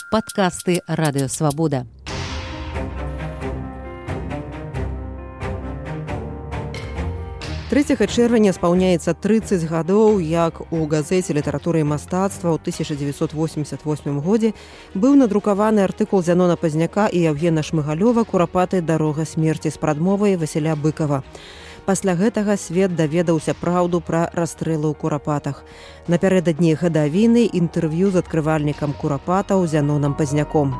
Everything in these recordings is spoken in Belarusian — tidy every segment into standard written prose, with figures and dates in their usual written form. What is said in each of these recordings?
Падкасты Радыёвабода. Чэрвеня спаўняецца 30 гадоў, як у газеце «Літаратура і мастацтва» ў 1988 годзе быў надрукаваны артыкул Зянона Пазняка і Яўгена Шмыгалёва «Курапаты. Дарога смерці» з прадмовай Васіля Быкава. Пасля гэтага свет даведаўся праўду пра расстрэлы ў Курапатах. Напярэдадні гадавіны інтэрв'ю з адкрывальнікам Курапатаў Зяноном Пазняком.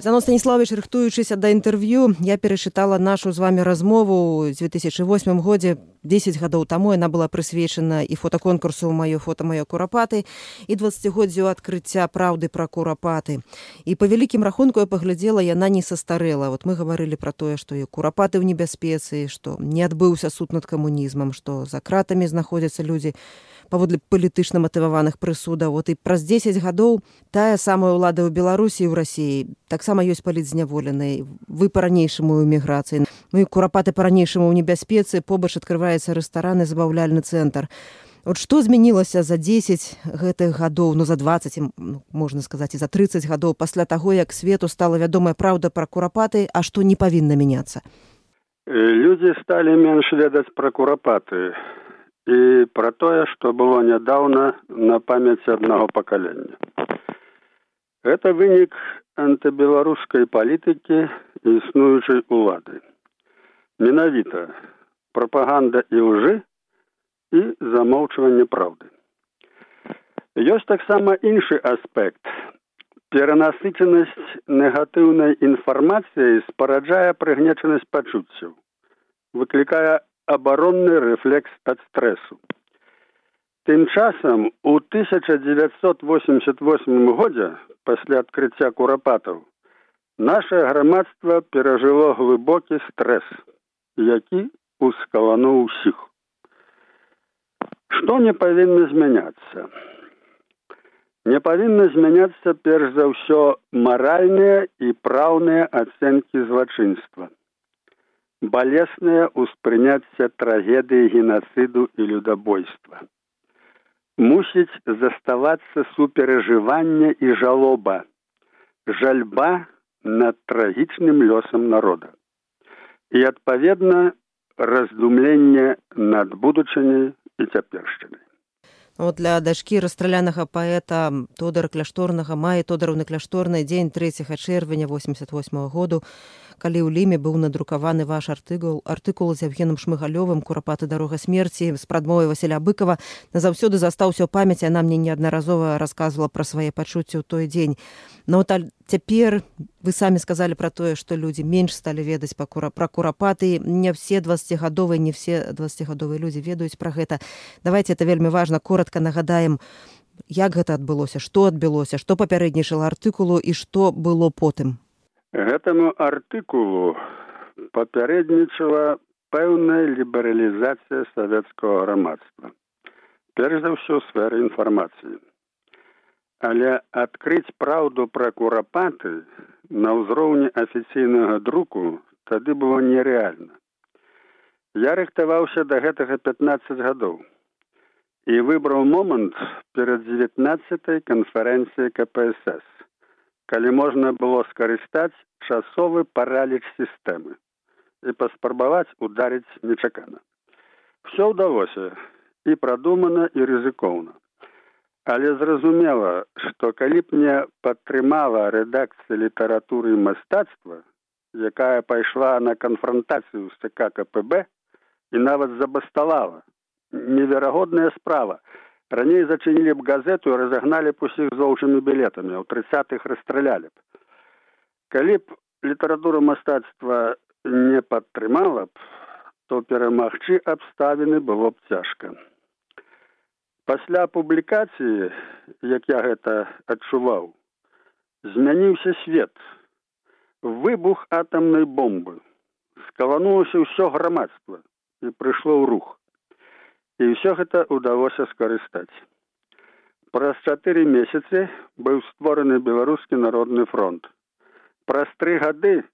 Зянон Станіславович, рыхтуючыся да інтэрв'ю, я перачытала нашу з вамі размову з 2008 годзе. 10 гадоў таму яна была прысвечана і фотаконкурсу «Маё фота, маё Курапаты» і 20годдзю адкрыцця праўды пра Курапаты. І па вялікім рахунку я паглядзела, яна не састарэла. Вот мы гаварылі пра тое, што і Курапаты ў небяспецы, што не адбыўся суд над камунізмам, што за кратамі знаходзяцца людзі паводле палітычна матываваных прысудаў. Вот і праз 10 гадоў тая самая ўлада ў Беларусі і ў Расіі таксама ёсць палітзняволеныя. Вы па-ранейшаму ў эміграцыі. Ну і Курапаты па-ранейшаму ў небяспецы, побач адкрываецца рэстаран і забаўляльны цэнтр. От што змянілася за 10 гэтых гадоў, за 20, можна сказаць, і за 30 гадоў пасля таго, як свету стала вядомая праўда пра Курапаты, а што не павінна мяняцца? Людзі сталі менш ведаць пра Курапаты і пра тое, што было нядаўна на памяць аднаго пакалення. Гэта вынік антыбеларускай палітыкі і існуючай улады. Менавіта прапаганда і лжы і замоўчванне праўды. Ёсць таксама іншы аспект. Перанасычанасць негатыўнай інфармацыяй спараджае прыгнечанасць пачуццяў, выклікае абаронны рэфлекс ад стрэсу. Тым часам у 1988 годзе, пасля адкрыцця Курапатаў, нашае грамадства перажыло глыбокі стрэс, які ускалануў усіх. Што не павінна змяняцца? Не павінна змяняцца перш за ўсё маральныя і праўныя ацэнкі злачынства, балеснае ўспрыняцце трагедыі генацыду і людабойства. Мусіць заставацца суперажыванне і жалоба, жальба над трагічным лёсам народа. І, адпаведна, раздумленне над будучыняй і цяпершчынай. Для дачкі расстралянага паэта Тодара Кляшторнага Маі Тодоровны Кляшторнай дзень 3 чэрвеня 88 году, калі ў Ліме быў надрукаваны ваш артыкул з Яўгенам Шмыгалёвым «Курапаты. Дарога смерці» з прадмовай Васіля Быкава, назаўсёды застаўся ў памяці, яна мне неаднаразова расказвала пра свае пачуцці ў той дзень. Но цяпер вы самі сказалі пра тое, што людзі менш сталі ведаць пра Курапаты. Не все 20гадовыя, не все 20гадовыя людзі ведаюць пра гэта. Давайте, это вельмі важна, коротка нагадаем, як гэта адбылося, што адбылося, што папярэднічала артыкулу і што было потым. Гэтаму артыкулу папярэднічала пэўная лібералізацыя савецкага грамадства. Перш за ўсё, сфера інфармацыі. Але адкрыць праўду пра Курапаты на ўзроўні афіцыйнага друку тады было нерэальна. Я рыхтаваўся да гэтага 15 гадоў і выбраў момант перад 19-й канферэнцыяй КПСС, калі можна было скарыстаць часовы параліч сістэмы і паспрабаваць ударыць нечакана. Всё ўдалося і прадумана, і рызыкоўна. Але зразумела, што калі б не падтрымала рэдакцыя «Літаратуры і мастацтва», якая пайшла на канфрантацыю з ЦК КПБ і нават забасталала, неверагодная справа. Раней зачынілі б газету і разагналі б усіх з воўчымі білетамі, а ў 30-х расстралялі б. Калі б літаратура мастацтва не падтрымала б, то перамагчы абставіны было б цяжка. Пасля публікацыі, як я гэта адчуваў, змяніўся свет. Выбух атамнай бомбы. Скаланулася ўсё грамадства і прыйшло ў рух. І ўсё гэта ўдалося скарыстаць. Праз 4 месяцы быў створаны Беларускі народны фронт. Праз 3 гады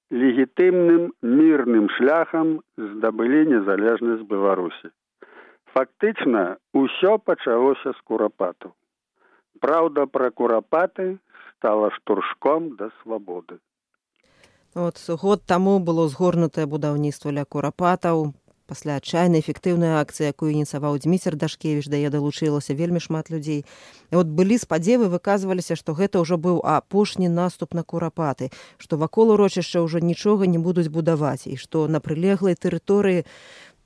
легітымным мірным шляхам здабылі незалежнасць Беларусі. Фактычна, усё пачалося з курапатаў. Праўда пра курапаты стала штуршком да свабоды. От год таму было згорнутае будаўніцтва ля курапатаў. Пасля адчайнай эфектыўнай акцыі, якую ініцыяваў Дзміцер Дашкевіч, да яе далучылася вельмі шмат людзей. І от былі спадзевы, выказваліся, што гэта ўжо быў апошні наступ на курапаты, што вакол урочышча ўжо нічога не будуць будаваць, і што на прылеглай тэрыторыі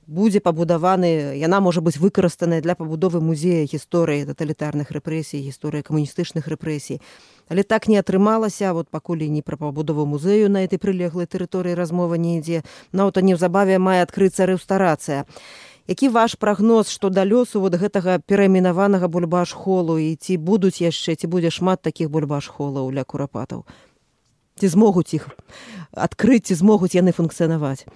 будзе пабудаваны, яна можа быць выкарыстаная для пабудовы музея гісторыі таталітарных рэпрэсій, гісторыі камуністычных рэпрэсій. Але так не атрымалася, вот пакуль і не пра пабудову музею на этой прылеглай тэрыторыі размова не ідзе, нават неўзабаве мае адкрыцца рэстарацыя. Які ваш прагноз што да лёсу вот гэтага перайменаванага бульбаш-холу, і ці будуць яшчэ, ці будзе шмат такіх бульбаш-холаў ля курапатаў? Ці змогуць іх адкрыць, ці змогуць яны функцыянаваць?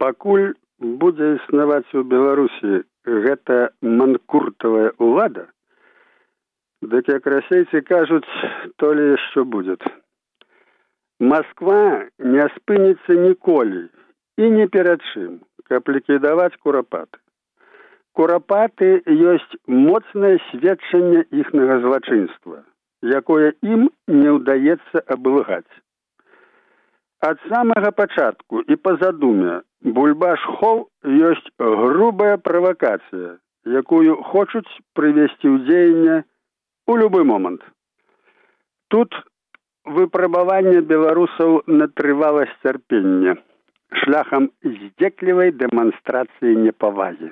Пакуль будзе існаваць у Беларусі гэта манкуртавая ўлада, дык як расейцы кажуць, то ли яшчэ будзе. Масква не спыніцца ніколі і ні перад чым, каб ліквідаваць курапаты. Курапаты ёсць моцнае сведчанне іхнага злачынства, якое ім не ўдаецца абылгаць. Ад самага пачатку і па задуме бульбаш-хол ёсць грубая правакацыя, якую хочуць прывесці ў дзеянне у любы момант. Тут выпрабаванне беларусаў на трываласць цярпення шляхам здзеклівай дэманстрацыі непавагі.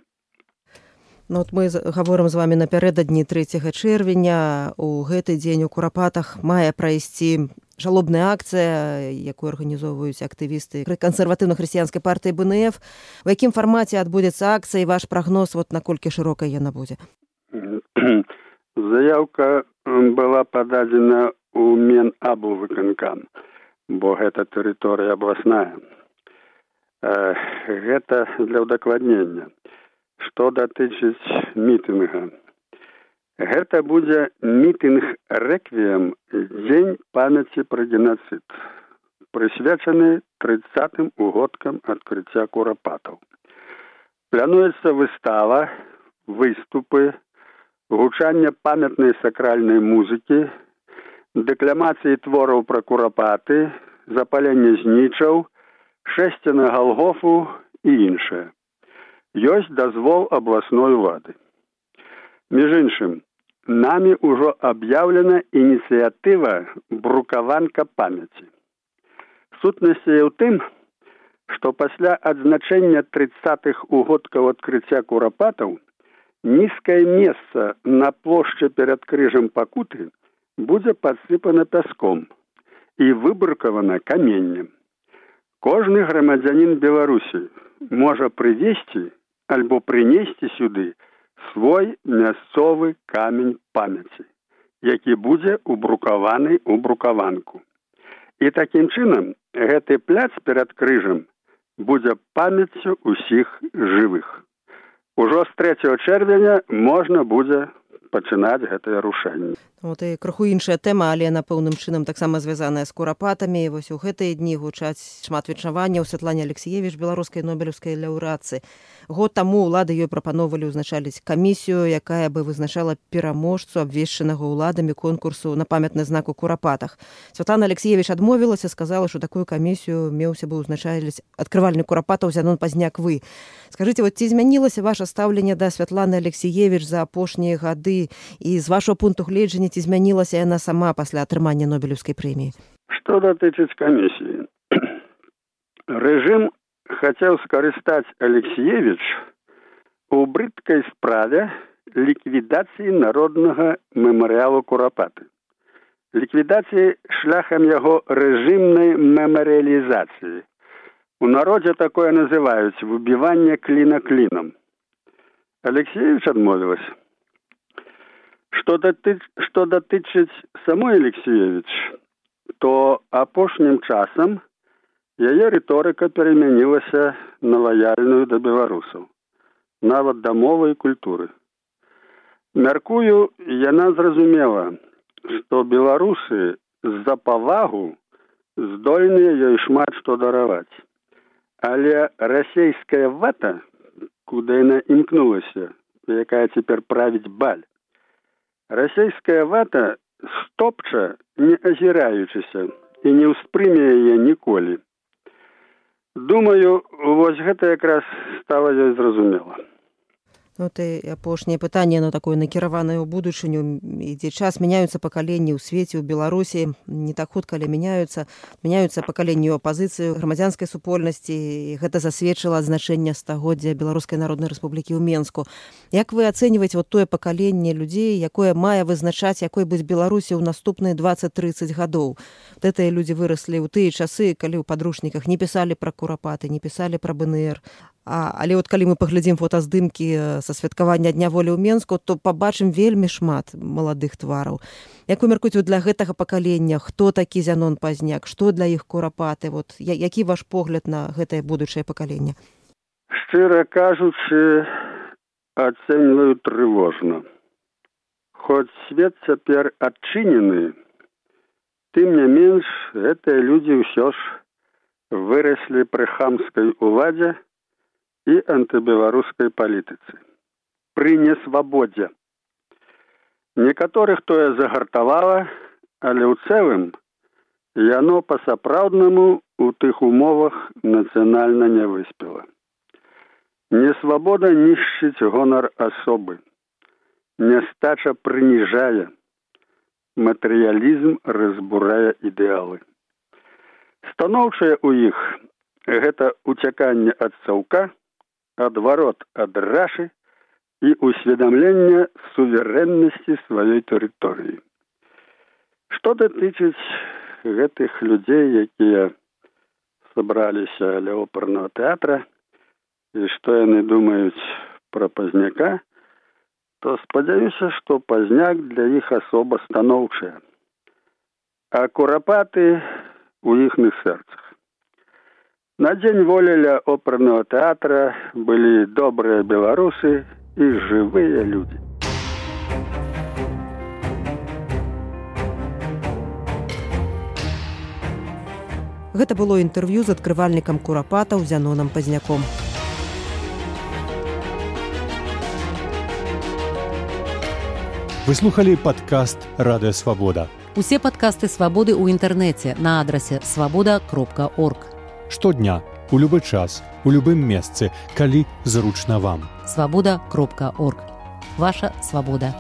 Ну, от мы гаворым з вамі напярэдадні 3 чэрвеня. У гэты дзень у курапатах мае прайсці жалобная акцыя, якую арганізоўваюць актывісты кансерватыўна-хрысціянскай партыі БНФ. У якім фармаце адбудзецца акцыя, і ваш прагноз, вот наколькі шырокай яна будзе? Заяўка была пададзена ў Менаблвыканкам, бо гэта тэрыторыя абласная. Гэта для ўдакладнення. Што датычыць мітынга? Гэта будзе мітынг-рэквіем Дзень памяці пра генацыд, прысвечаны 30-м угодкам адкрыцця курапатаў. Плануецца выстава, выступы, гучанне памятнай сакральнай музыкі, дэкламацыі твораў пра курапаты, запаленне знічаў, шэсце на Галгофу і іншае. Ёсць дазвол абласной улады. Між іншым, намі ўжо аб'яўлена ініцыятыва «Брукаванка памяці». Сутнасць яе ў тым, што пасля адзначэння 30-х угодкаў адкрыцця курапатаў нізкае месца на плошчы перад крыжам Пакуты будзе падсыпана пяском і выбрукавана каменнем. Кожны грамадзянін Беларусі можа прывезці альбо прынесці сюды свой мясцовы камень памяці, які будзе убрукаваны ў брукаванку. І такім чынам гэты пляц перад крыжам будзе памяццю ўсіх жывых. Ужо з 3 чэрвеня можна будзе пачынаць гэтае рушэнне. Вот і крыху іншая тэма, але на пэўным чынам таксама звязаная з курапатамі. Вось у гэтыя дні гучаць шмат віншаванняў Святлане Алексіевіч, беларускай нобелеўскай лаўрэатцы. Год таму ўлады ёй прапаноўвалі ўзначаліць камісію, якая бы вызначала пераможцу абвешчанага ўладамі конкурсу на памятны знак у курапатах. Святлана Алексіевіч адмовілася, сказала, што такую камісію меўся бы ўзначаліць адкрывальнік курапатаў Зянон Пазняк вы. Скажыце, вот ці змянілася ваша стаўленне да Святланы Алексіевіч за апошнія гады, і з вашого пункту гледжання ці змянілася яна сама пасля атрымання Нобелеўскай прэміі? Што датычыць камісіі? Рэжым хацеў скарыстаць Алексіевіч у брыдкай справе ліквідацыі народнага мемарыялу Курапаты. Ліквідацыі шляхам яго рэжымнай мемарыялізацыі. У народзе такое называюць выбіванне кліна клінам. Алексіевіч адмовілася. Што датычыць самой Алексіевіч, то апошнім часам яе рыторыка перамянілася на лаяльную да беларусаў, нават да мовы і культуры. Мяркую, яна зразумела, што беларусы з-за павагу здольныя ёй шмат што дараваць. Але расейская вата куда яна імкнулася, якая цяпер правіць баль. Расійская вата стопча, не азіраючыся, і не ўспрыме яе ніколі. Думаю, вось гэта якраз стала ёй зразумела. І апошняе пытанне, такое накіраванае ў будучыню, ідзе час, мяняюцца пакаленні ў свеце, ў Беларусі, не так хутка, але мяняюцца пакаленні ў апазіцыі, грамадзянскай супольнасці, і гэта засведчыла значэнне стагоддзя Беларускай Народнай Рэспублікі ў Менску. Як вы ацэньваеце тое пакаленне людзей, якое мае вызначаць, якой быць Беларусі ў наступныя 20-30 гадоў? Гэтыя людзі выраслі ў тыя часы, калі ў падручніках не пісалі пра курапаты, не пісалі пра БНР. Але калі мы паглядзім фотаздымкі са святкавання Дня волі ў Менску, то пабачым вельмі шмат маладых твараў. Як вы мяркуеце для гэтага пакалення, хто такі Зянон Пазняк, што для іх курапаты? Які ваш погляд на гэтае будучае пакаленне? Шчыра кажучы, ацэньваю трывожна. Хоць свет цяпер адчынены, тым не менш, гэтыя людзі ўсё ж выраслі пры хамскай уладзе і антыбеларускай палітыцы. Пры несвабодзе. Некаторых тое загартавала, але ў цэлым яно па-сапраўднаму ў тых умовах нацыянальна не выспела. Несвабода нішчыць гонар асобы. Нястача прыніжае. Матэрыялізм разбурае ідэалы. Станоўчае ў іх гэта уцяканне ад цаўка, адварот ад рашы і усведамленне суверэннасці сваёй тэрыторыі. Што датычыць гэтых людзей, якія сабраліся ля опернага тэатра, і што яны думаюць пра Пазняка, то спадзяюся, што Пазняк для іх асоба станоўчая, а курапаты у іхных сэрцах. На Дзень волі ля опернага тэатра былі добрыя беларусы і жывыя людзі. Гэта было інтэрв'ю з адкрывальнікам курапатаў Зянонам Пазняком. Вы слухалі падкаст «Радыё Свабода». Усе падкасты «Свабоды» ў інтэрнэце на адрасе свабода.орг. Штодня, у любы час, у любым месцы, калі зручна вам. Свабода.орг. Ваша свабода.